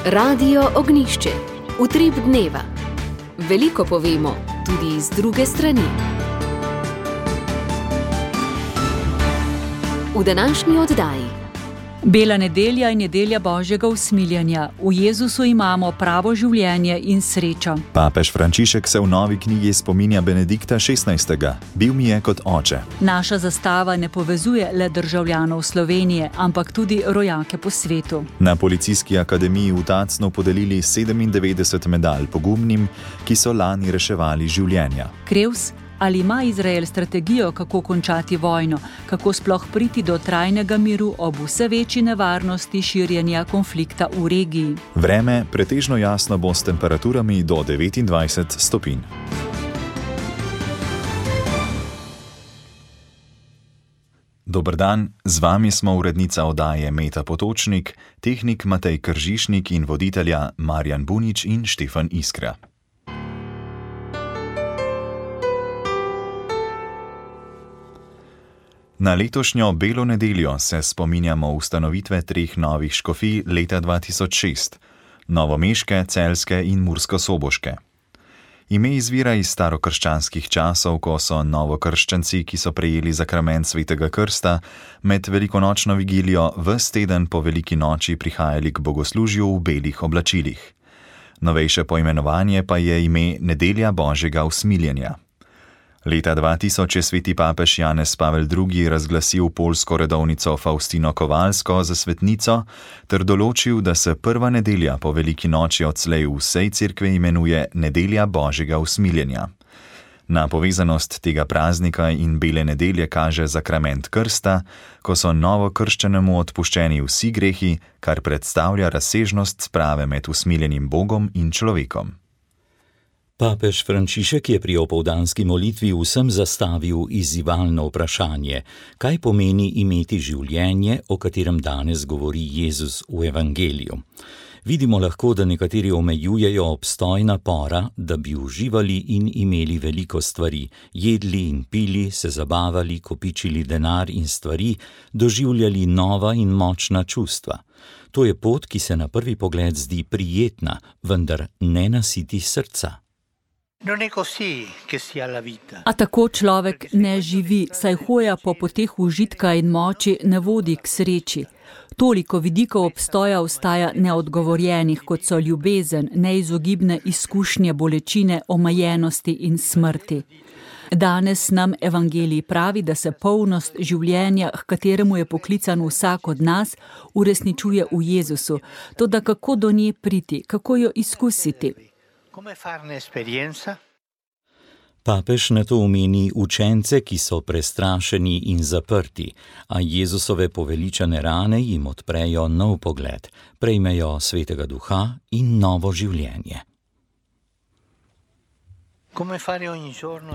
Radio Ognišče, utrip dneva. Veliko povemo, tudi iz druge strani. V današnji oddaji. Bela nedelja in nedelja Božjega usmiljenja. V Jezusu imamo pravo življenje in srečo. Papež Frančišek se v novi knjigi spominja Benedikta XVI. Bil mi je kot oče. Naša zastava ne povezuje le državljanov Slovenije, ampak tudi rojake po svetu. Na Policijski akademiji v Tacnu podelili 97 medalj pogumnim, ki so lani reševali življenja. Krevs, ali ima Izrael strategijo, kako končati vojno, kako sploh priti do trajnega miru ob vse večji nevarnosti širjenja konflikta v regiji? Vreme pretežno jasno bo s temperaturami do 29 stopinj. Dober dan, z vami smo urednica oddaje Meta Potočnik, tehnik Matej Kržišnik in voditelja Marjan Bunič in Štefan Iskra. Na letošnjo Belo nedeljo se spominjamo ustanovitve 3 novih škofij leta 2006, novomeške, celjske in murskosoboške. Ime izvira iz starokrščanskih časov, ko so novokrščanci, ki so prejeli zakrament svetega krsta, med velikonočno vigilijo ves teden po veliki noči prihajali k bogoslužju v belih oblačilih. Novejše poimenovanje pa je ime Nedelja Božjega usmiljenja. Leta 2000 je sveti papež Janez Pavel II. Razglasil poljsko redovnico Faustino Kovalsko za svetnico ter določil, da se prva nedelja po veliki noči odslej v vsej cerkvi imenuje Nedelja Božjega usmiljenja. Na povezanost tega praznika in bele nedelje kaže zakrament krsta, ko so novokrščenemu odpuščeni vsi grehi, kar predstavlja razsežnost sprave med usmiljenim Bogom in človekom. Papež Frančišek je pri opoldanski molitvi vsem zastavil izzivalno vprašanje, kaj pomeni imeti življenje, o katerem danes govori Jezus v evangeliju. Vidimo lahko, da nekateri omejujejo obstoj napora, da bi uživali in imeli veliko stvari, jedli in pili, se zabavali, kopičili denar in stvari, doživljali nova in močna čustva. To je pot, ki se na prvi pogled zdi prijetna, vendar ne nasiti srca. A tako človek ne živi, saj hoja po poteh užitka in moči ne vodi k sreči. Toliko vidikov obstoja ostaja neodgovorjenih, kot so ljubezen, neizogibne izkušnje bolečine, omejenosti in smrti. Danes nam evangelij pravi, da se polnost življenja, h kateremu je poklican vsak od nas, uresničuje v Jezusu. Toda kako do nje priti, kako jo izkusiti? Papež na to omeni učence, ki so prestrašeni in zaprti, a Jezusove poveličane rane jim odprejo nov pogled, prejmejo svetega duha in novo življenje.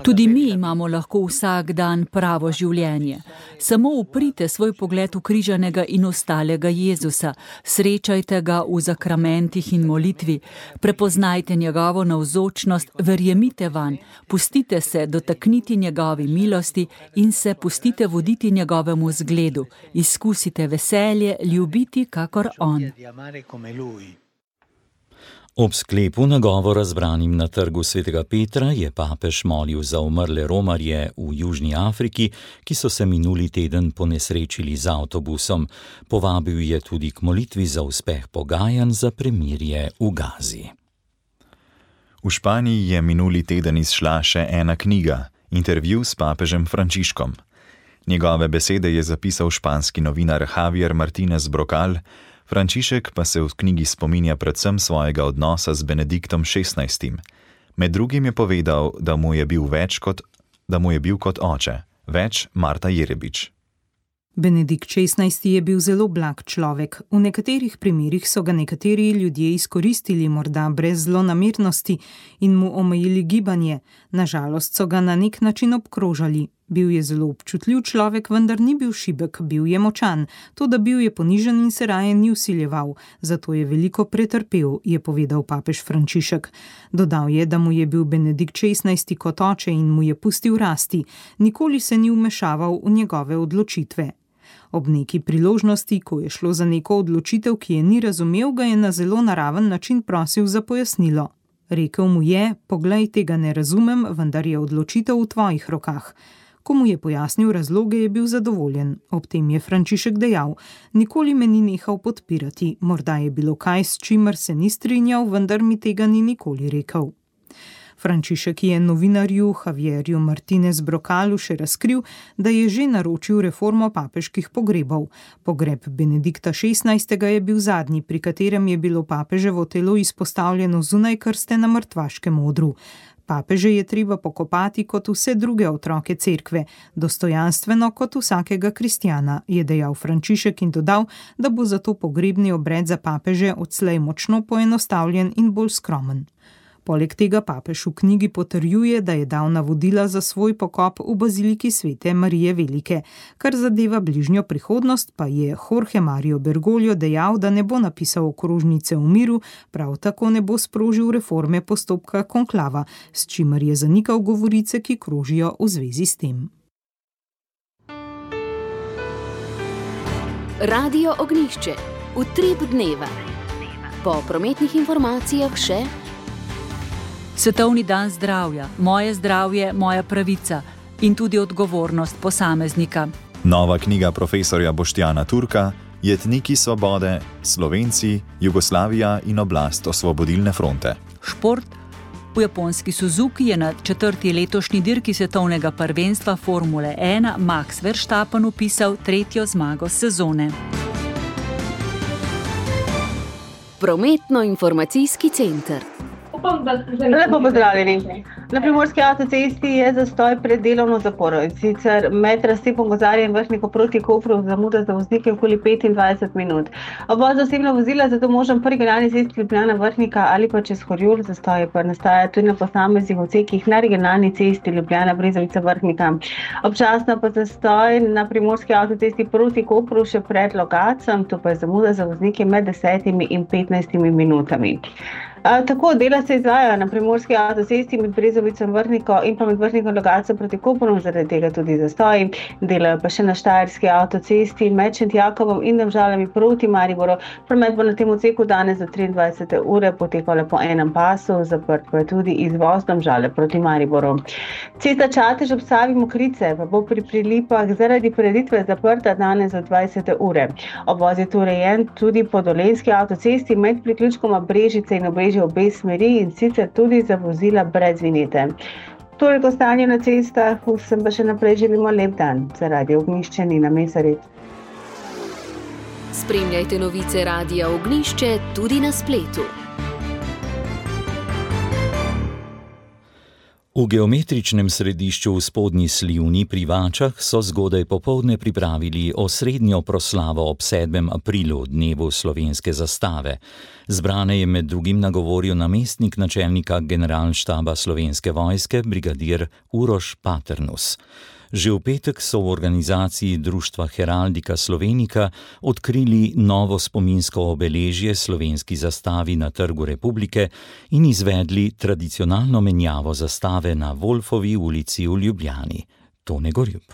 Tudi mi imamo lahko vsak dan pravo življenje. Samo uprite svoj pogled v križanega in ostalega Jezusa, srečajte ga v zakramentih in molitvi, prepoznajte njegovo navzočnost, verjemite vanj, pustite se dotakniti njegovi milosti in se pustite voditi njegovemu zgledu, izkusite veselje, ljubiti kakor on. Ob sklepu nagovora zbranim na trgu svetega Petra je papež molil za umrle romarje v Južni Afriki, ki so se minuli teden ponesrečili z avtobusom. Povabil je tudi k molitvi za uspeh pogajanj za premirje v Gazi. V Španiji je minuli teden izšla še ena knjiga, intervju s papežem Frančiškom. Njegove besede je zapisal španski novinar Javier Martínez Brocal, Frančišek pa se v knjigi spominja predvsem svojega odnosa z Benediktom XVI. Med drugim je povedal, da mu je bil kot oče, več Marta Jerebič. Benedikt XVI. Je bil zelo blag človek. V nekaterih primerih so ga nekateri ljudje izkoristili morda brez zlonamernosti in mu omejili gibanje. Na žalost so ga na nek način obkrožali. Bil je zelo občutljiv človek, vendar ni bil šibek, bil je močan. Toda bil je ponižen in se raje ni vsiljeval. Zato je veliko pretrpel, je povedal papež Frančišek. Dodal je, da mu je bil Benedikt XVI. Kot oče in mu je pustil rasti. Nikoli se ni vmešaval v njegove odločitve. Ob neki priložnosti, ko je šlo za neko odločitev, ki je ni razumel, ga je na zelo naraven način prosil za pojasnilo. Rekel mu je: "Poglej, tega ne razumem, vendar je odločitev v tvojih rokah." Ko mu je pojasnil razloge, je bil zadovoljen. Ob tem je Frančišek dejal: "Nikoli me ni nehal podpirati, morda je bilo kaj, s čimer se ni strinjal, vendar mi tega ni nikoli rekel." Frančišek je novinarju Javierju Martinez Brocalu še razkril, da je že naročil reformo papeških pogrebov. Pogreb Benedikta XVI. Je bil zadnji, pri katerem je bilo papeževo telo izpostavljeno zunaj krste na mrtvaškem odru. Papeže je treba pokopati kot vse druge otroke cerkve, dostojanstveno kot vsakega kristjana, je dejal Frančišek in dodal, da bo zato pogrebni obred za papeže odslej močno poenostavljen in bolj skromen. Poleg tega papež v knjigi potrjuje, da je dal navodila za svoj pokop v baziliki Svete Marije Velike. Kar zadeva bližnjo prihodnost, pa je Jorge Mario Bergoglio dejal, da ne bo napisal okrožnice v miru, prav tako ne bo sprožil reforme postopka konklava, s čimer je zanikal govorice, ki krožijo v zvezi s tem. Radio Ognjišče. Utrip dneva. Po prometnih informacijah še Svetovni dan zdravja, moje zdravje, moja pravica in tudi odgovornost posameznika. Nova knjiga profesorja Boštjana Turka, Jetniki svobode, Slovenci, Jugoslavija in oblast osvobodilne fronte. Šport. V japonski Suzuki je na 4. letošnji dirki svetovnega prvenstva Formule 1 Max Verstappen vpisal 3. zmago sezone. Prometno-informacijski center. Lepo pozdravljeni. Na Primorski avtocesti je zastoj pred delovno zaporo. Sicer med razcepom Gozarja in Vrhniku proti Kopru zamuda za voznike okoli 25 minut. Obvoz za osebna vozila zato možen po regionalni cesti Ljubljana Vrhnika ali pa čez Horjul. Zastoj pa nastaja tudi na posameznih odsekih na regionalni cesti Ljubljana Brezovica Vrhnika. Občasno pa zastoj na Primorski avtocesti proti Kopru še pred Logacem, to pa je zamuda za voznike med 10 in 15 minutami. Tako dela se izvajajo na Primorski avtocesti med Brezovico in Vrhniko in pa med Vrhnikom in Logacem proti Kopru, zaradi tega tudi zastoji. Delajo pa še na Štajerski avtocesti med Šentjakovom in Domžalami proti Mariboru. Promet bo na tem odseku danes do 23. ure potekal po enem pasu, zaprt pa je tudi izvoz Domžale proti Mariboru. Cesta Čatež ob Savi Mokrice pa bo pri Prilipah zaradi prireditve zaprta danes do 20. ure. Obvoz je torej urejen tudi po Dolenjski avtocesti med priključkoma Brežice in Obrežje v obe smeri in sicer tudi za vozila brez vinjete. Toliko stanje na cestah, vsem pa še naprej želimo lep dan. Za Radio Ognjišče Nina Mesarit. Spremljajte novice Radia Ognjišče tudi na spletu. V geometričnem središču v Spodnji Slivni pri Vačah so zgodaj popoldne pripravili osrednjo proslavo ob 7. aprilu, dnevu slovenske zastave. Zbrane je med drugim nagovoril namestnik načelnika generalštaba Slovenske vojske, brigadir Uroš Paternus. Že v petek so v organizaciji Društva Heraldika Slovenika odkrili novo spominsko obeležje slovenski zastavi na Trgu Republike in izvedli tradicionalno menjavo zastave na Wolfovi ulici v Ljubljani. Tone Gorjup.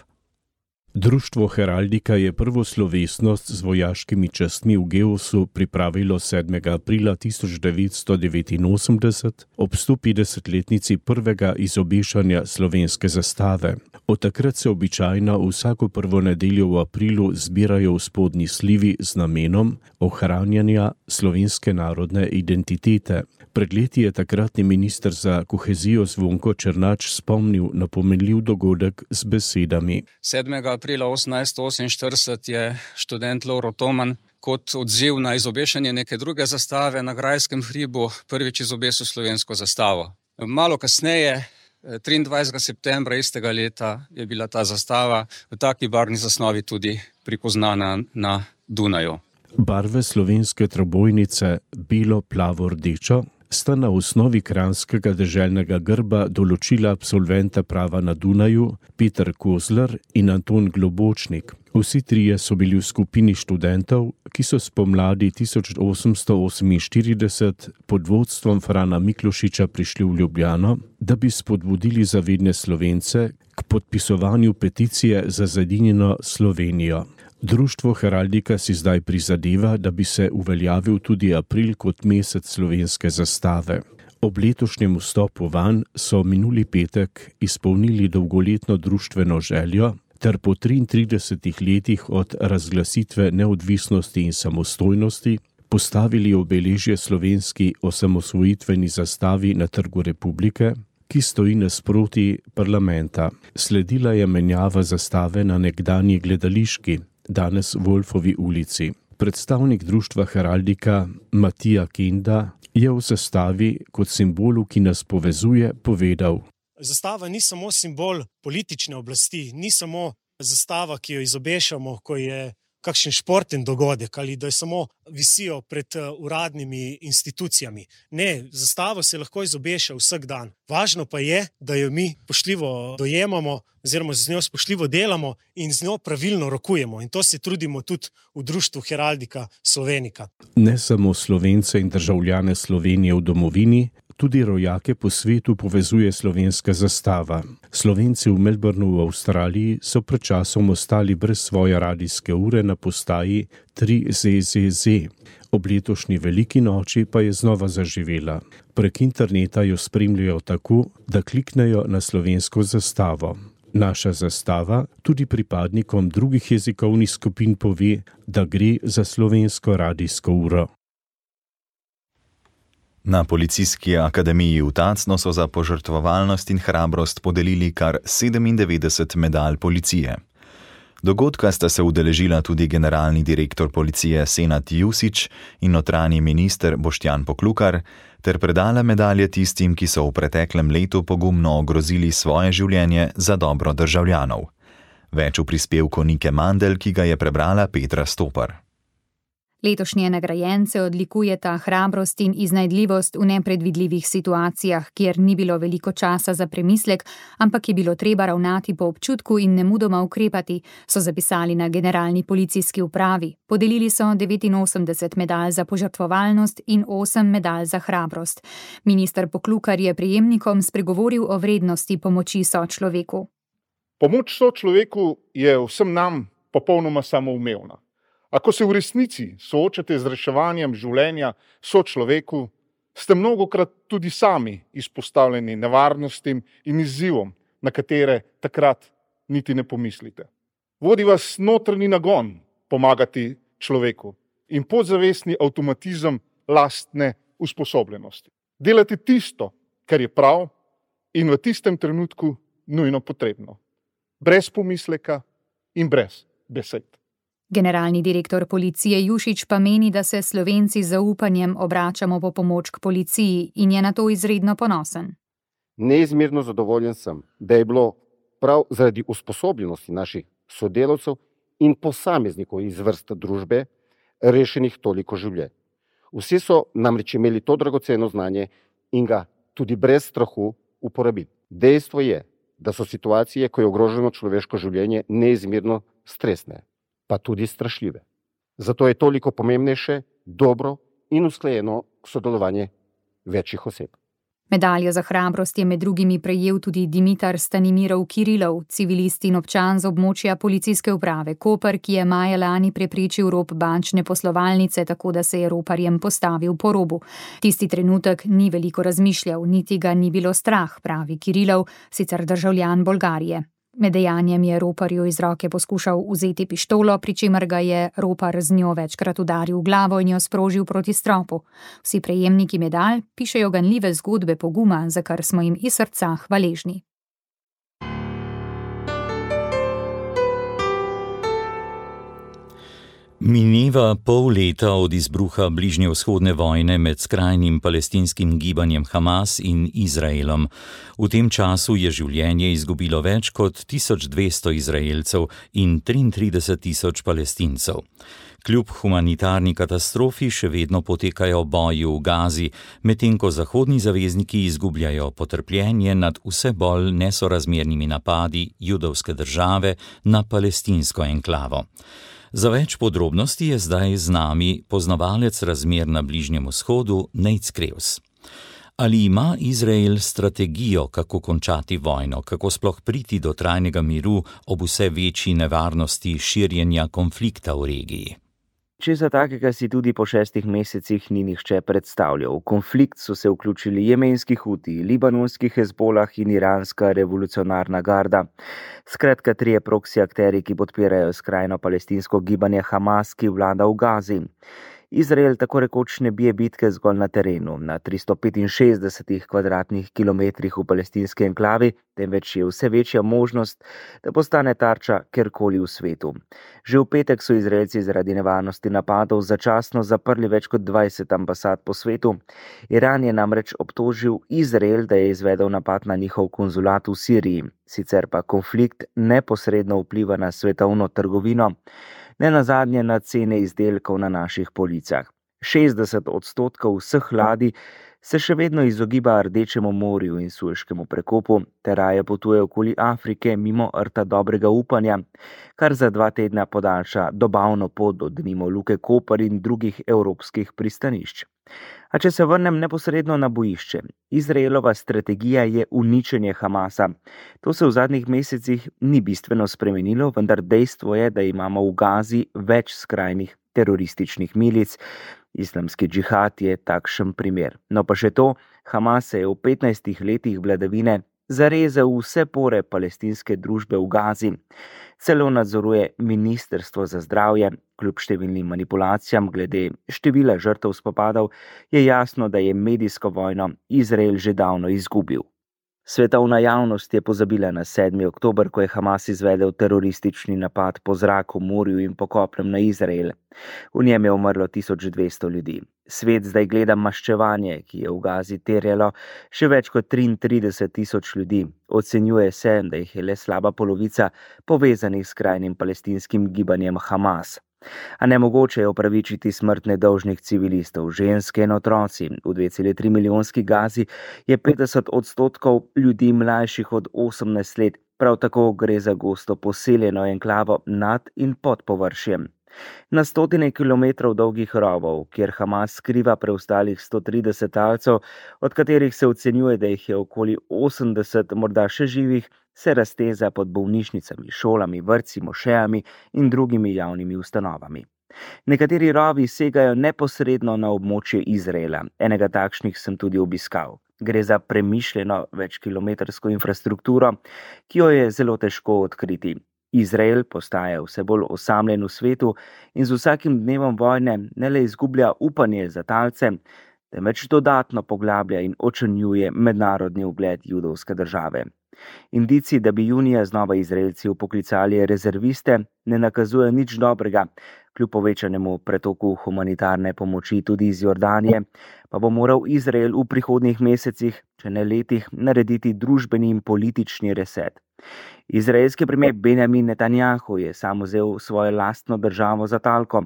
Društvo Heraldika je prvo slovesnost z vojaškimi častmi v Geosu pripravilo 7. aprila 1989 ob 150-letnici prvega izobešanja slovenske zastave. Od takrat se običajno vsako prvo nedeljo v aprilu zbirajo v Spodnji Slivi z namenom ohranjanja slovenske narodne identitete. Pred leti je takratni minister za kohezijo Zvonko Černač spomnil na pomenljiv dogodek z besedami. 7. aprila 1848 je študent Lovro Toman kot odziv na izobešanje neke druge zastave na Grajskem hribu prvič izobesil slovensko zastavo. Malo kasneje, 23. septembra istega leta, je bila ta zastava v taki barvni zasnovi tudi pripoznana na Dunaju. Barve slovenske trobojnice belo, plavo, rdečo sta na osnovi kranjskega deželnega grba določila absolventa prava na Dunaju Peter Kozler in Anton Globočnik. Vsi trije so bili v skupini študentov, ki so spomladi 1848 pod vodstvom Frana Miklošiča prišli v Ljubljano, da bi spodbudili zavedne Slovence k podpisovanju peticije za zedinjeno Slovenijo. Društvo Heraldika si zdaj prizadeva, da bi se uveljavil tudi april kot mesec slovenske zastave. Ob letošnjem vstopu vanj so minuli petek izpolnili dolgoletno društveno željo ter po 33 letih od razglasitve neodvisnosti in samostojnosti postavili obeležje slovenski osamosvojitveni zastavi na Trgu Republike, ki stoji nasproti parlamenta. Sledila je menjava zastave na nekdanji Gledališki, danes Wolfovi ulici. Predstavnik društva Heraldika Matija Kenda je v zastavi kot simbolu, ki nas povezuje, povedal: Zastava ni samo simbol politične oblasti, ni samo zastava, ki jo izobešamo, ko je kakšen športen dogodek ali da jo samo visijo pred uradnimi institucijami. Ne, zastavo se lahko izobeša vsak dan. Važno pa je, da jo mi spoštljivo dojemamo oziroma z njo spoštljivo delamo in z njo pravilno rokujemo. In to se trudimo tudi v društvu Heraldika Slovenika. Ne samo Slovence in državljane Slovenije v domovini, tudi rojake po svetu povezuje slovenska zastava. Slovenci v Melbournu v Avstraliji so pred časom ostali brez svoje radijske ure na postaji 3ZZZ. Ob letošnji veliki noči pa je znova zaživela. Prek interneta jo spremljajo tako, da kliknejo na slovensko zastavo. Naša zastava tudi pripadnikom drugih jezikovnih skupin pove, da gre za slovensko radijsko uro. Na Policijski akademiji v Tacnu so za požrtvovalnost in hrabrost podelili kar 97 medalj policije. Dogodka sta se udeležila tudi generalni direktor policije Senad Jusić in notranji minister Boštjan Poklukar ter predala medalje tistim, ki so v preteklem letu pogumno ogrozili svoje življenje za dobro državljanov. Več v prispevku Nike Mandel, ki ga je prebrala Petra Stopar. Letošnje nagrajence odlikujeta hrabrost in iznajdljivost v nepredvidljivih situacijah, kjer ni bilo veliko časa za premislek, ampak je bilo treba ravnati po občutku in nemudoma ukrepati, so zapisali na Generalni policijski upravi. Podelili so 89 medalj za požrtvovalnost in 8 medalj za hrabrost. Minister Poklukar je prejemnikom spregovoril o vrednosti pomoči sočloveku. Pomoč sočloveku je vsem nam popolnoma samoumevna. Ako se v resnici soočate z reševanjem življenja sočloveku, ste mnogokrat tudi sami izpostavljeni nevarnostim in izzivom, na katere takrat niti ne pomislite. Vodi vas notranji nagon pomagati človeku in podzavestni avtomatizem lastne usposobljenosti. Delate tisto, kar je prav in v tistem trenutku nujno potrebno. Brez pomisleka in brez besed. Generalni direktor policije Jušić pa meni, da se Slovenci z zaupanjem obračamo po pomoč k policiji in je na to izredno ponosen. Neizmerno zadovoljen sem, da je bilo prav zaradi usposobljenosti naših sodelavcev in posameznikov iz vrst družbe rešenih toliko življenj. Vsi so namreč imeli to dragoceno znanje in ga tudi brez strahu uporabili. Dejstvo je, da so situacije, ko je ogroženo človeško življenje, neizmerno stresne, pa tudi strašljive. Zato je toliko pomembnejše, dobro in usklajeno sodelovanje večjih oseb. Medaljo za hrabrost je med drugimi prejel tudi Dimitar Stanimirov Kirilov, civilist in občan z območja policijske uprave Koper, ki je maja lani preprečil rop bančne poslovalnice, tako da se je roparjem postavil po robu. Tisti trenutek ni veliko razmišljal, niti ga ni bilo strah, pravi Kirilov, sicer državljan Bolgarije. Med dejanjem je roparju iz roke poskušal vzeti pištolo, pri čemer ga je ropar z njo večkrat udaril v glavo in jo sprožil proti stropu. Vsi prejemniki medalj pišejo ganljive zgodbe poguma, za kar smo jim iz srca hvaležni. Mineva pol leta od izbruha bližnjevzhodne vojne med skrajnim palestinskim gibanjem Hamas in Izraelom. V tem času je življenje izgubilo več kot 1200 Izraelcev in 33.000 Palestincev. Kljub humanitarni katastrofi še vedno potekajo boji v Gazi, medtem ko zahodni zavezniki izgubljajo potrpljenje nad vse bolj nesorazmernimi napadi judovske države na palestinsko enklavo. Za več podrobnosti je zdaj z nami poznavalec razmer na Bližnjem vzhodu Nejc Krevs. Ali ima Izrael strategijo, kako končati vojno, kako sploh priti do trajnega miru ob vse večji nevarnosti širjenja konflikta v regiji? Česa takega si tudi po 6 mesecih ni nihče predstavljal. V konflikt so se vključili jemenski Huti, libanonski Hezbolah in iranska revolucionarna garda. Skratka, 3 proksi akteri, ki podpirajo skrajno palestinsko gibanje Hamas, ki vlada v Gazi. Izrael tako rekoč ne bije bitke zgolj na terenu, na 365 kvadratnih kilometrih v palestinski enklavi, temveč je vse večja možnost, da postane tarča kjerkoli v svetu. Že v petek so Izraelci zaradi nevarnosti napadov začasno zaprli več kot 20 ambasad po svetu. Iran je namreč obtožil Izrael, da je izvedel napad na njihov konzulat v Siriji. Sicer pa konflikt neposredno vpliva na svetovno trgovino, ne nazadnje na cene izdelkov na naših policah. 60% vseh ladij se še vedno izogiba Rdečemu morju in Sueškemu prekopu, ter raje potuje okoli Afrike mimo Rta dobrega upanja, kar za 2 tedna podaljša dobavno pot do denimo Luke Koper in drugih evropskih pristanišč. A če se vrnem neposredno na bojišče, Izraelova strategija je uničenje Hamasa. To se v zadnjih mesecih ni bistveno spremenilo, vendar dejstvo je, da imamo v Gazi več skrajnih terorističnih milic. Islamski džihad je takšen primer. No pa še to, Hamas se je v 15 letih vladavine zarezal vse pore palestinske družbe v Gazi. Celo nadzoruje Ministrstvo za zdravje. Kljub številnim manipulacijam glede števila žrtev spopadov je jasno, da je medijsko vojno Izrael že davno izgubil. Svetovna javnost je pozabila na 7. oktober, ko je Hamas izvedel teroristični napad po zraku, morju in po kopnem na Izrael. V njem je umrlo 1200 ljudi. Svet zdaj gleda maščevanje, ki je v Gazi terjalo še več kot 33.000 ljudi. Ocenjuje se, da jih je le slaba polovica povezanih s skrajnim palestinskim gibanjem Hamas. A nemogoče je opravičiti smrt nedolžnih civilistov, ženske in otroci. V 2,3 milijonski Gazi je 50% ljudi mlajših od 18 let. Prav tako gre za gosto poseljeno enklavo nad in pod površjem. Na 100 kilometrov dolgih rovov, kjer Hamas skriva preostalih 130 talcev, od katerih se ocenjuje, da jih je okoli 80 morda še živih, se razteza pod bolnišnicami, šolami, vrtci, mošejami in drugimi javnimi ustanovami. Nekateri rovi segajo neposredno na območje Izraela. Enega takšnih sem tudi obiskal. Gre za premišljeno večkilometrsko infrastrukturo, ki jo je zelo težko odkriti. Izrael postaja vse bolj osamljen v svetu in z vsakim dnevom vojne ne le izgublja upanje za talce, temveč dodatno poglablja in očrnjuje mednarodni ugled judovske države. Indici, da bi junija znova Izraelci vpoklicali rezerviste, ne nakazuje nič dobrega. Kljub povečanemu pretoku humanitarne pomoči tudi iz Jordanije, pa bo moral Izrael v prihodnjih mesecih, če ne letih, narediti družbeni in politični reset. Izraelski premijer Benjamin Netanjahu je sam vzel svojo lastno državo za talko.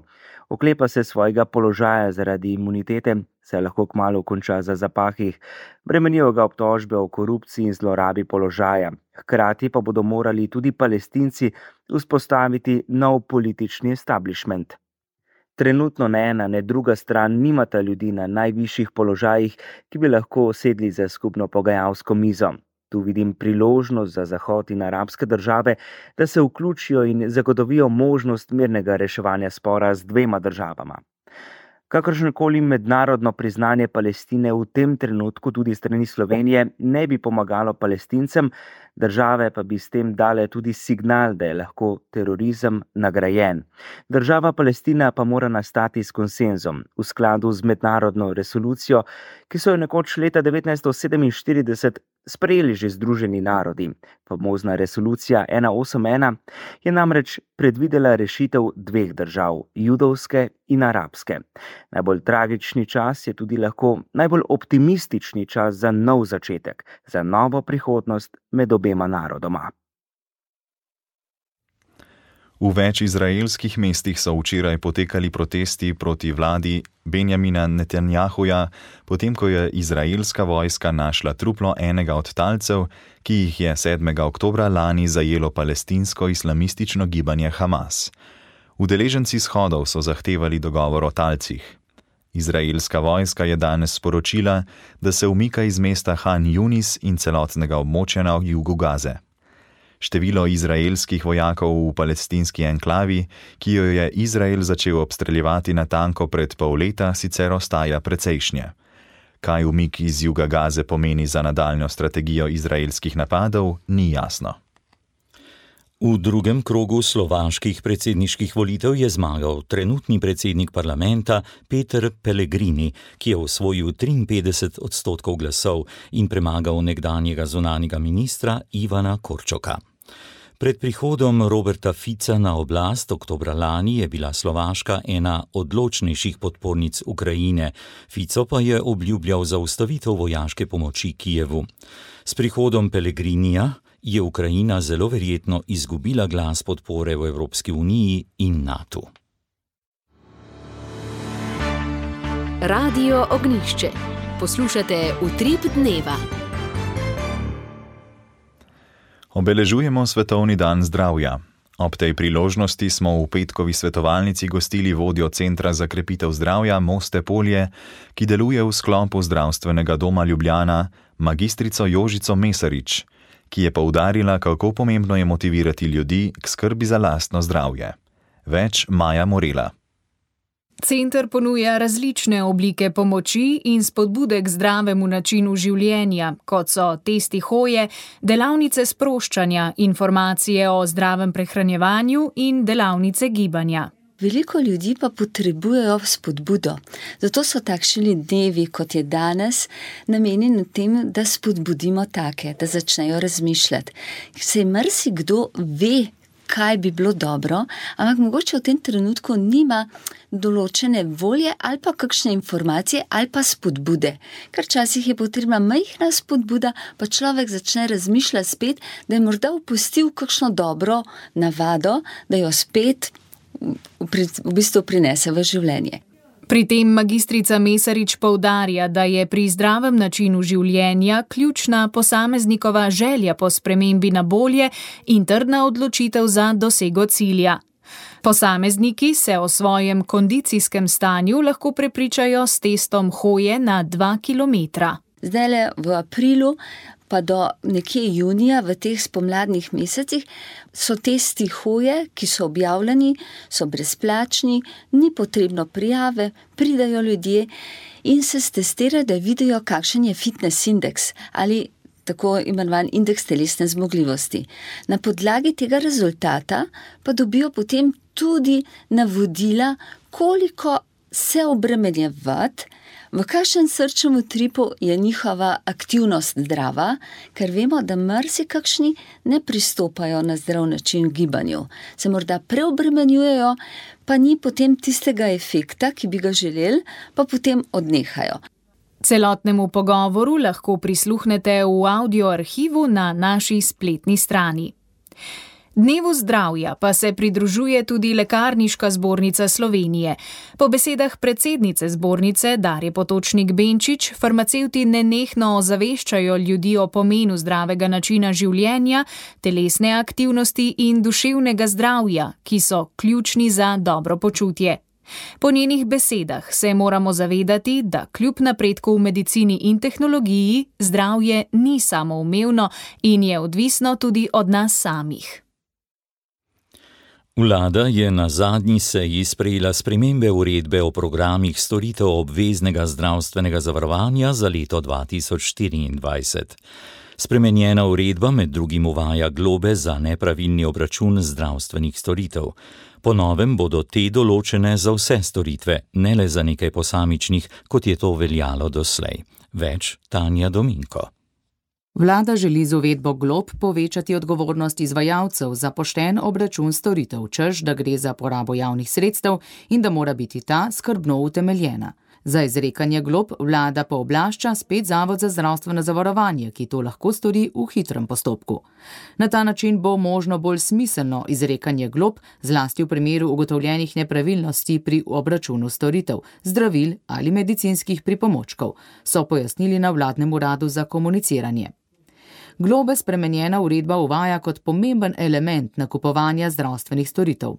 Oklepa se svojega položaja zaradi imunitete, se lahko kmalu konča za zapahih. Bremenijo ga obtožbe o korupciji in zlorabi položaja. Hkrati pa bodo morali tudi Palestinci vzpostaviti nov politični establishment. Trenutno ne ena, ne druga stran nimata ljudi na najvišjih položajih, ki bi lahko sedli za skupno pogajalsko mizo. Tu vidim priložnost za Zahod in arabske države, da se vključijo in zagotovijo možnost mirnega reševanja spora z 2 državama. Kakršnokoli mednarodno priznanje Palestine v tem trenutku tudi strani Slovenije ne bi pomagalo Palestincem, države pa bi s tem dale tudi signal, da je lahko terorizem nagrajen. Država Palestina pa mora nastati s konsenzom, v skladu z mednarodno resolucijo, ki so jo nekoč leta 1947 sprejeli že Združeni narodi. Famozna resolucija 181 je namreč predvidela rešitev 2 držav, judovske in arabske. Najbolj tragični čas je tudi lahko najbolj optimistični čas za nov začetek, za novo prihodnost med obema narodoma. V več izraelskih mestih so včeraj potekali protesti proti vladi Benjamina Netanjahuja, potem ko je izraelska vojska našla truplo enega od talcev, ki jih je 7. oktobra lani zajelo palestinsko islamistično gibanje Hamas. Udeleženci shodov so zahtevali dogovor o talcih. Izraelska vojska je danes sporočila, da se umika iz mesta Han Yunis in celotnega območja na jugu Gaze. Število izraelskih vojakov v palestinski enklavi, ki jo je Izrael začel obstreljevati natanko pred pol leta, sicer ostaja precejšnje. Kaj umik iz juga Gaze pomeni za nadaljnjo strategijo izraelskih napadov, ni jasno. V drugem krogu slovaških predsedniških volitev je zmagal trenutni predsednik parlamenta Peter Pellegrini, ki je osvojil 53% glasov in premagal nekdanjega zunanjega ministra Ivana Korčoka. Pred prihodom Roberta Fica na oblast oktobra lani je bila Slovaška ena odločnejših podpornic Ukrajine. Fico pa je obljubljal zaustavitev vojaške pomoči Kijevu. S prihodom Pellegrinija je Ukrajina zelo verjetno izgubila glas podpore v Evropski uniji in NATO. Radio Ognjišče. Poslušate Utrip dneva. Obeležujemo Svetovni dan zdravja. Ob tej priložnosti smo v petkovi svetovalnici gostili vodjo Centra za krepitev zdravja Moste Polje, ki deluje v sklopu Zdravstvenega doma Ljubljana, magistrico Jožico Mesarič, ki je poudarila, kako pomembno je motivirati ljudi k skrbi za lastno zdravje. Več Maja Morela. Center ponuja različne oblike pomoči in spodbude k zdravemu načinu življenja, kot so testi hoje, delavnice sproščanja, informacije o zdravem prehranjevanju in delavnice gibanja. Veliko ljudi pa potrebujejo spodbudo. Zato so takšni dnevi, kot je danes, namenjeni tem, da spodbudimo take, da začnejo razmišljati. Saj marsikdo ve, kaj bi bilo dobro, ampak mogoče v tem trenutku nima določene volje ali pa kakšne informacije ali pa spodbude. Ker včasih je potrebna majhna spodbuda, pa človek začne razmišljati spet, da je morda opustil kakšno dobro navado, da jo spet v bistvu prinese v življenje. Pri tem magistrica Mesarič poudarja, da je pri zdravem načinu življenja ključna posameznikova želja po spremembi na bolje in trdna odločitev za dosego cilja. Posamezniki se o svojem kondicijskem stanju lahko prepričajo s testom hoje na 2 kilometra. Zdajle v aprilu pa do nekje junija v teh spomladnih mesecih so testi hoje, ki so objavljeni, so brezplačni, ni potrebno prijave, pridajo ljudje in se stestirajo, da vidijo, kakšen je fitness indeks ali tako imenovan indeks telesne zmogljivosti. Na podlagi tega rezultata pa dobijo potem tudi navodila, koliko se obremenjevati, v kakšen srčnem utripu je njihova aktivnost zdrava, ker vemo, da marsikakšni ne pristopajo na zdrav način gibanju. Se morda preobremenjujejo, pa ni potem tistega efekta, ki bi ga želeli, pa potem odnehajo. Celotnemu pogovoru lahko prisluhnete v audio arhivu na naši spletni strani. Dnevu zdravja pa se pridružuje tudi Lekarniška zbornica Slovenije. Po besedah predsednice zbornice Darje Potočnik Benčič, farmacevti nenehno ozaveščajo ljudi o pomenu zdravega načina življenja, telesne aktivnosti in duševnega zdravja, ki so ključni za dobro počutje. Po njenih besedah se moramo zavedati, da kljub napredku v medicini in tehnologiji zdravje ni samoumevno in je odvisno tudi od nas samih. Vlada je na zadnji seji sprejela spremembe uredbe o programih storitev obveznega zdravstvenega zavarovanja za leto 2024. Spremenjena uredba med drugim uvaja globe za nepravilni obračun zdravstvenih storitev. Po novem bodo te določene za vse storitve, ne le za nekaj posamičnih, kot je to veljalo doslej. Več Tanja Dominko. Vlada želi z uvedbo glob povečati odgovornost izvajalcev za pošten obračun storitev, češ, da gre za porabo javnih sredstev in da mora biti ta skrbno utemeljena. Za izrekanje glob vlada pooblašča spet Zavod za zdravstveno zavarovanje, ki to lahko stori v hitrem postopku. Na ta način bo možno bolj smiselno izrekanje glob, zlasti v primeru ugotovljenih nepravilnosti pri obračunu storitev, zdravil ali medicinskih pripomočkov, so pojasnili na vladnem uradu za komuniciranje. Globe spremenjena uredba uvaja kot pomemben element nakupovanja zdravstvenih storitev.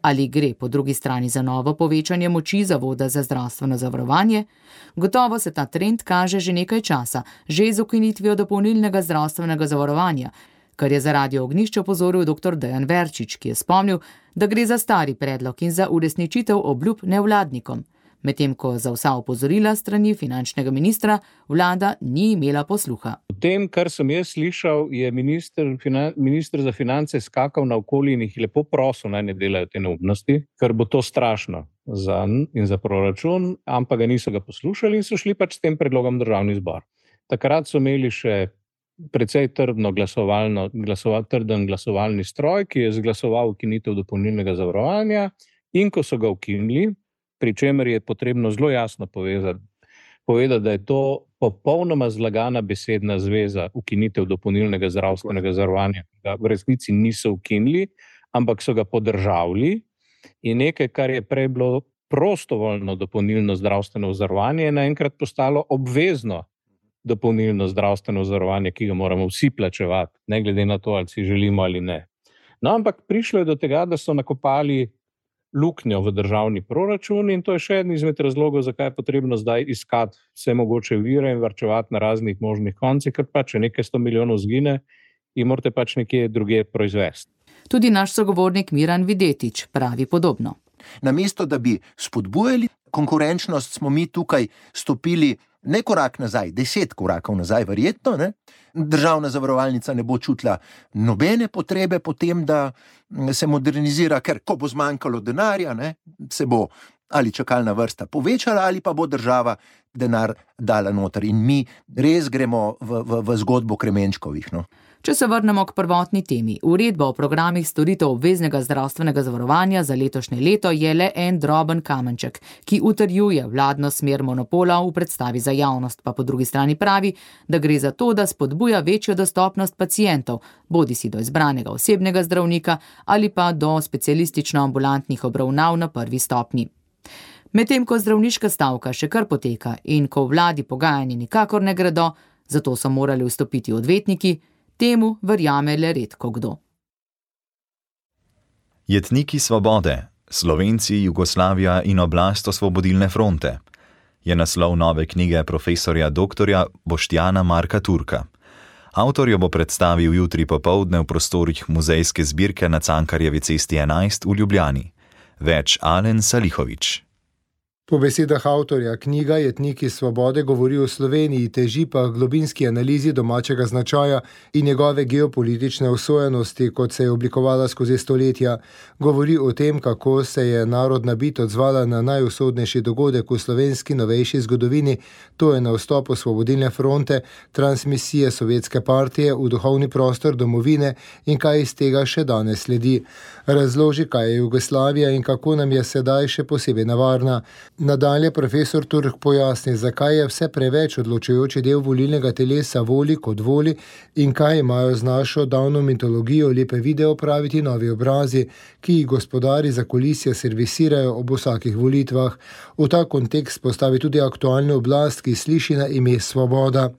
Ali gre po drugi strani za novo povečanje moči Zavoda za zdravstveno zavarovanje? Gotovo se ta trend kaže že nekaj časa, že z ukinitvijo dopolnilnega zdravstvenega zavarovanja, kar je za Radio Ognjišče opozoril dr. Dejan Verčič, ki je spomnil, da gre za stari predlog in za uresničitev obljub nevladnikom. Medtem ko za vsa opozorila strani finančnega ministra vlada ni imela posluha. V tem, kar sem jaz slišal, je minister za finance skakal naokoli in jih lepo prosil, naj ne delajo te neumnosti, ker bo to strašno za proračun, ampak ga niso poslušali in so šli pač s tem predlogom v Državni zbor. Takrat so imeli še precej trden glasovalni stroj, ki je izglasoval ukinitev dopolnilnega zavarovanja, in ko so ga ukinili, pri čemer je potrebno zelo jasno povedati, da je to popolnoma zlagana besedna zveza ukinitev dopolnilnega zdravstvenega zavarovanja, ki ga v resnici niso ukinili, ampak so ga podržavili, in nekaj, kar je prej bilo prostovoljno dopolnilno zdravstveno zavarovanje, je naenkrat postalo obvezno dopolnilno zdravstveno zavarovanje, ki ga moramo vsi plačevati, ne glede na to, ali si želimo ali ne. No, ampak prišlo je do tega, da so nakopali luknjo v državni proračun in to je še eden izmed razlogov, zakaj je potrebno zdaj iskati vse mogoče vire in varčevati na raznih možnih koncih, ker pa če nekaj 100 milijonov zgine, in morate pač nekje drugje proizvesti. Tudi naš sogovornik Miran Videtič pravi podobno. Namesto, da bi spodbujali konkurenčnost, smo mi tukaj stopili ne korak nazaj, 10 korakov nazaj verjetno, ne? Državna zavarovalnica ne bo čutila nobene potrebe potem, da se modernizira, ker ko bo zmanjkalo denarja, ne, se bo ali čakalna vrsta povečala ali pa bo država denar dala noter. In mi res gremo v zgodbo Kremenčkovih. No. Če se vrnemo k prvotni temi, uredba o programih storitev obveznega zdravstvenega zavarovanja za letošnje leto je le en droben kamenček, ki utrjuje vladno smer monopola v predstavi za javnost, pa po drugi strani pravi, da gre za to, da spodbuja večjo dostopnost pacientov, bodisi do izbranega osebnega zdravnika ali pa do specialistično-ambulantnih obravnav na prvi stopnji. Medtem ko zdravniška stavka še kar poteka in ko vladi pogajanja nikakor ne gredo, zato so morali vstopiti odvetniki, temu verjame le redko kdo. Jetniki svobode, Slovenci, Jugoslavija in oblast Osvobodilne fronte je naslov nove knjige profesorja dr. Boštjana Marka Turka. Avtor jo bo predstavil jutri popoldne v prostorih muzejske zbirke na Cankarjevi cesti 11 v Ljubljani. Več Alen Salihović. Po besedah avtorja knjiga Jetniki svobode govori o Sloveniji, teži pa globinski analizi domačega značaja in njegove geopolitične usojenosti, kot se je oblikovala skozi stoletja. Govori o tem, kako se je narodna bit odzvala na najusodnejši dogodek v slovenski novejši zgodovini, to je na vstop Osvobodilne fronte, transmisije Sovjetske partije v duhovni prostor domovine in kaj iz tega še danes sledi. Razloži, kaj je Jugoslavija in kako nam je sedaj še posebej nevarna. Nadalje profesor Turk pojasni, zakaj je vse preveč odločujoči del volilnega telesa voli kot voli in kaj imajo z našo davno mitologijo lepe video praviti novi obrazi, ki jih gospodari za kulisje servisirajo ob vsakih volitvah. V ta kontekst postavi tudi aktualno oblast, ki sliši na ime Svoboda.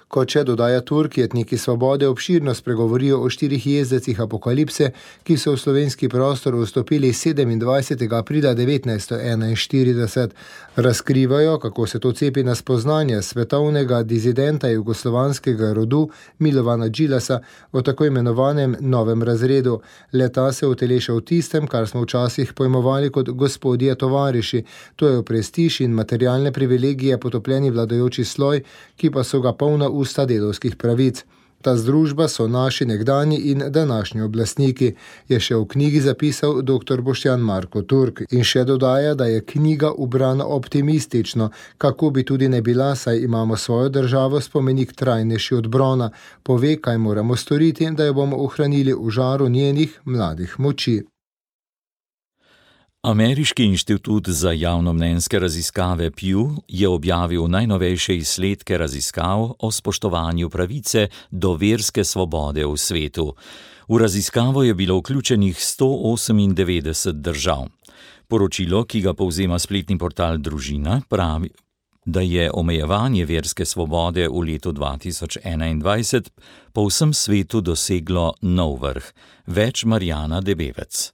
Kot še dodaja Turk, Jetniki svobode obširno spregovorijo o 4 jezdecih apokalipse, ki so v slovenski prostor vstopili 27. aprila 1941. Razkrivajo, kako se to cepi na spoznanje svetovnega dizidenta jugoslovanskega rodu Milovana Đilasa o tako imenovanem novem razredu. Leta se uteleša v tistem, kar smo včasih pojmovali kot gospodje tovariši, to je prestiž in materialne privilegije potopljeni vladajoči sloj, ki pa so ga polna usta delovskih pravic. Ta združba so naši nekdanji in današnji oblastniki, je še v knjigi zapisal dr. Boštjan Marko Turk in še dodaja, da je knjiga ubrana optimistično, kako bi tudi ne bila, saj imamo svojo državo spomenik trajnejši od brona, pove, kaj moramo storiti, da jo bomo ohranili v žaru njenih mladih moči. Ameriški inštitut za javnomnenjske raziskave Pew je objavil najnovejše izsledke raziskav o spoštovanju pravice do verske svobode v svetu. V raziskavo je bilo vključenih 198 držav. Poročilo, ki ga povzema spletni portal Družina, pravi, da je omejevanje verske svobode v letu 2021 po vsem svetu doseglo nov vrh. Več Marjana Debevec.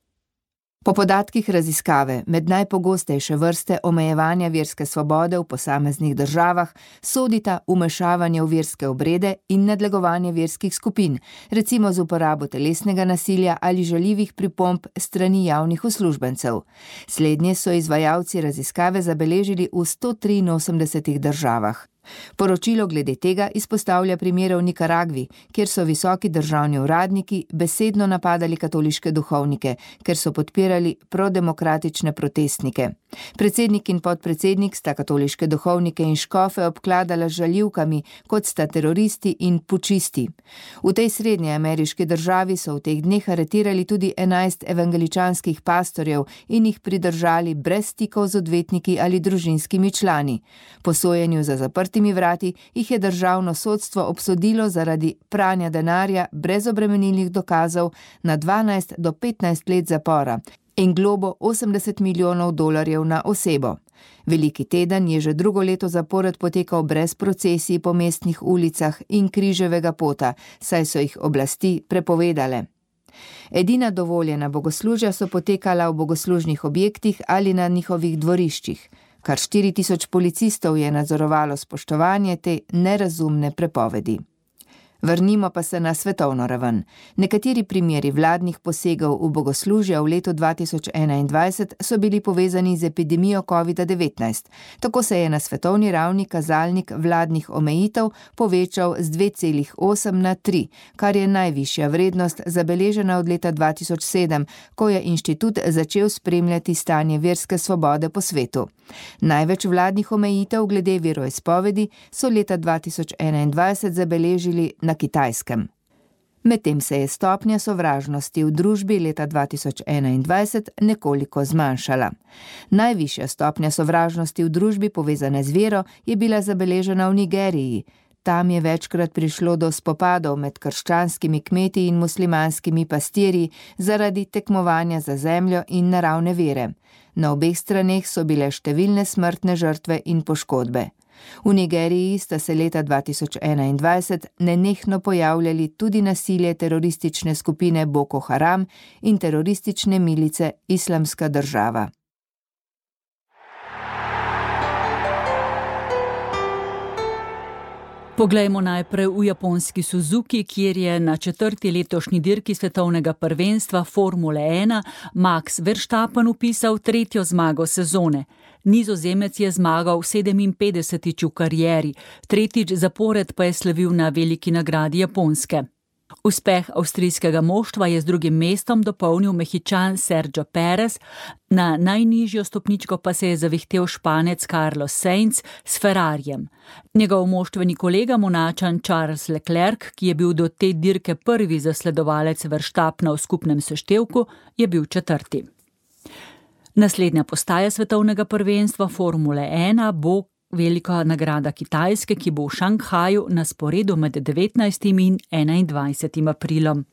Po podatkih raziskave, med najpogostejše vrste omejevanja verske svobode v posameznih državah sodita vmešavanje v verske obrede in nadlegovanje verskih skupin, recimo z uporabo telesnega nasilja ali žaljivih pripomb strani javnih uslužbencev. Slednje so izvajalci raziskave zabeležili v 183 državah. Poročilo glede tega izpostavlja primere v Nikaragvi, kjer so visoki državni uradniki besedno napadali katoliške duhovnike, ker so podpirali prodemokratične protestnike. Predsednik in podpredsednik sta katoliške duhovnike in škofe obkladala z žaljivkami, kot sta teroristi in pučisti. V tej srednje ameriški državi so v teh dneh aretirali tudi 11 evangeličanskih pastorjev in jih pridržali brez stikov z odvetniki ali družinskimi člani. Po sojenju za zaprtimi vrati jih je državno sodstvo obsodilo zaradi pranja denarja brez obremenilnih dokazov na 12 do 15 let zapora in globo $80 milijonov na osebo. Veliki teden je že drugo leto zapored potekal brez procesij po mestnih ulicah in križevega pota, saj so jih oblasti prepovedale. Edina dovoljena bogoslužja so potekala v bogoslužnih objektih ali na njihovih dvoriščih. Kar 4000 policistov je nadzorovalo spoštovanje te nerazumne prepovedi. Vrnimo pa se na svetovno raven. Nekateri primeri vladnih posegov v bogoslužja v letu 2021 so bili povezani z epidemijo COVID-19. Tako se je na svetovni ravni kazalnik vladnih omejitev povečal z 2,8 na 3, kar je najvišja vrednost zabeležena od leta 2007, ko je inštitut začel spremljati stanje verske svobode po svetu. Največ vladnih omejitev glede veroizpovedi so leta 2021 zabeležili na Kitajskem. Medtem se je stopnja sovražnosti v družbi leta 2021 nekoliko zmanjšala. Najvišja stopnja sovražnosti v družbi povezane z vero je bila zabeležena v Nigeriji. Tam je večkrat prišlo do spopadov med krščanskimi kmeti in muslimanskimi pastirji zaradi tekmovanja za zemljo in naravne vere. Na obeh straneh so bile številne smrtne žrtve in poškodbe. V Nigeriji sta se leta 2021 nenehno pojavljali tudi nasilje teroristične skupine Boko Haram in teroristične milice Islamska država. Poglejmo najprej v japonski Suzuki, kjer je na 4. letošnji dirki svetovnega prvenstva Formule 1 Max Verstappen upisal 3. zmago sezone. Nizozemec je zmagal 57. v karieri, 3. zapored pa je slavil na veliki nagradi Japonske. Uspeh avstrijskega moštva je z 2. mestom dopolnil Mehičan Sergio Perez, na najnižjo stopničko pa se je zavihtel Španec Carlos Sainz s Ferrarijem. Njegov moštveni kolega Monačan Charles Leclerc, ki je bil do te dirke prvi zasledovalec Verstappena v skupnem seštevku, je bil 4. Naslednja postaja svetovnega prvenstva Formule 1 bo velika nagrada Kitajske, ki bo v Šanghaju na sporedu med 19. in 21. aprilom.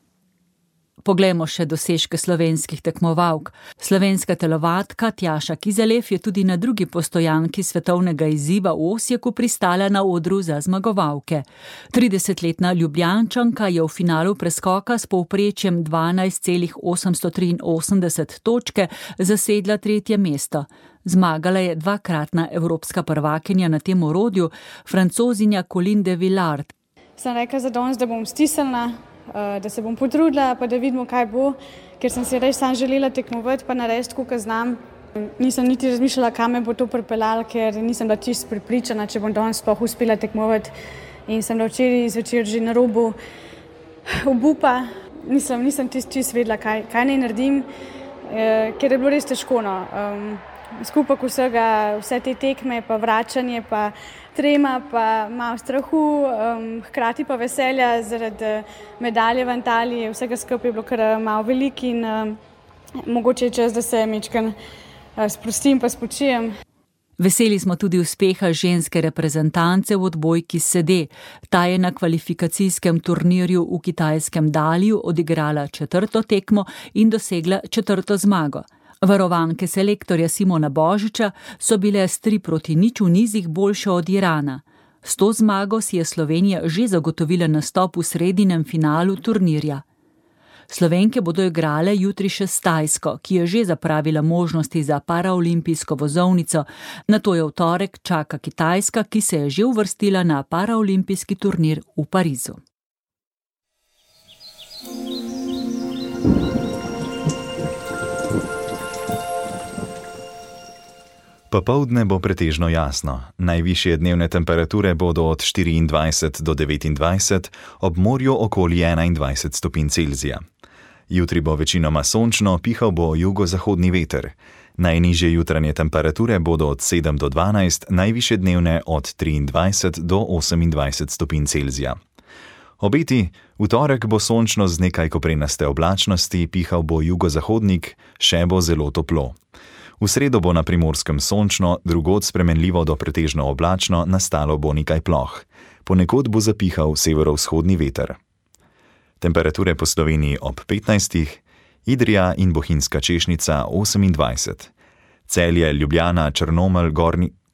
Poglejmo še dosežke slovenskih tekmovalk. Slovenska telovadka Tjaša Kizelev je tudi na drugi postojanki svetovnega izziva v Osijeku pristala na odru za zmagovalke. 30-letna Ljubljančanka je v finalu preskoka s povprečjem 12,883 točke zasedla 3. mesto. Zmagala je 2-kratna evropska prvakinja na tem orodju, Francozinja Colin de Villard. Sem rekla za danes, da bom stisnila, da se bom potrudila, pa da vidimo, kaj bo, ker sem si res sam želela tekmovati, pa narediti, koliko znam. Nisem niti razmišljala, kam me bo to pripeljalo, ker nisem bila čisto prepričana, če bom danes sploh uspela tekmovati. In sem včeraj zvečer že na robu obupa. Nisem čisto vedela, kaj naj naredim, ker je bilo res težko. Skupaj vsega, vse te tekme, pa vračanje, pa trema, pa malo strahu, hkrati pa veselja zaradi medalje v Antaliji, vsega skupaj je bilo kar malo veliko in mogoče je čas, da se mečkam sprostim pa spočijem. Veseli smo tudi uspeha ženske reprezentance v odbojki sede. Ta je na kvalifikacijskem turnirju v kitajskem Daliju odigrala 4. tekmo in dosegla 4. zmago. Varovanke selektorja Simona Božiča so bile s 3-0 v nizih boljše od Irana. S to zmago si je Slovenija že zagotovila nastop v sredinem finalu turnirja. Slovenke bodo igrale jutri še s Tajsko, ki je že zapravila možnosti za paraolimpijsko vozovnico. Nato je v torek čaka Kitajska, ki se je že uvrstila na paraolimpijski turnir v Parizu. Popoldne bo pretežno jasno. Najvišje dnevne temperature bodo od 24 do 29, ob morju okoli 21 stopinj Celzija. Jutri bo večinoma sončno, pihal bo jugozahodni veter. Najnižje jutranje temperature bodo od 7 do 12, najvišje dnevne od 23 do 28 stopinj Celzija. Obeti: v torek bo sončno z nekaj koprenaste oblačnosti, pihal bo jugozahodnik, še bo zelo toplo. V sredo bo na Primorskem sončno, drugod spremenljivo do pretežno oblačno, nastalo bo nekaj ploh. Ponekod bo zapihal severovzhodni veter. Temperature po Sloveniji ob 15, Idrija in Bohinjska Češnica 28, Celje, Ljubljana, Črnomelj,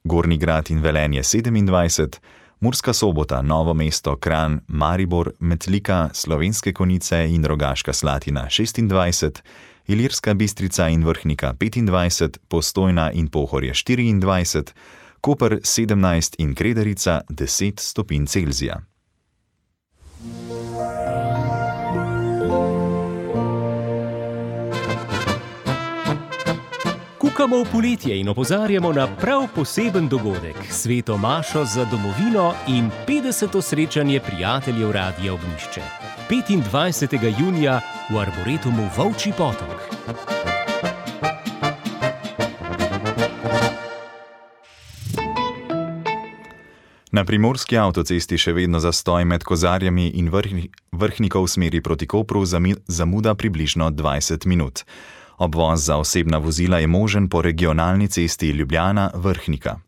Gornji Grad in Velenje 27, Murska Sobota, Novo mesto, Kranj, Maribor, Metlika, Slovenske Konjice in Rogaška Slatina 26, Ilirska Bistrica in Vrhnika 25, Postojna in Pohorje 24, Koper 17 in Kredarica 10 stopinj Celzija. Kukamo v poletje in opozarjamo na prav poseben dogodek, sveto mašo za domovino in 50. srečanje prijateljev Radia Ognjišče. 25. junija v Arboretumu Volčji Potok. Na primorski avtocesti še vedno zastoj med Kozarjami in Vrhnikov v smeri proti Kopru zamuda približno 20 minut. Obvoz za osebna vozila je možen po regionalni cesti Ljubljana-Vrhnika.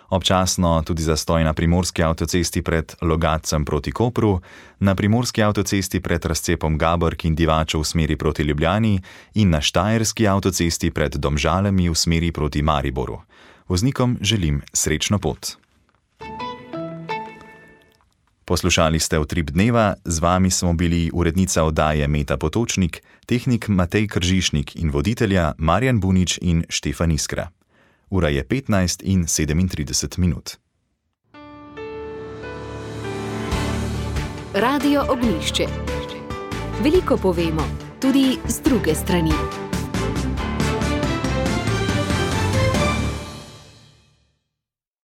Občasno tudi zastoj na primorski avtocesti pred Logatcem proti Kopru, na primorski avtocesti pred razcepom Gabrk in Divačev v smeri proti Ljubljani in na štajerski avtocesti pred Domžalami v smeri proti Mariboru. Voznikom želim srečno pot. Poslušali ste Utrip dneva, z vami smo bili urednica oddaje Meta Potočnik, tehnik Matej Kržišnik in voditelja Marjan Bunič in Štefan Iskra. Ura je 15 in 37 minut. Radio Ognjišče. Veliko povemo, tudi z druge strani.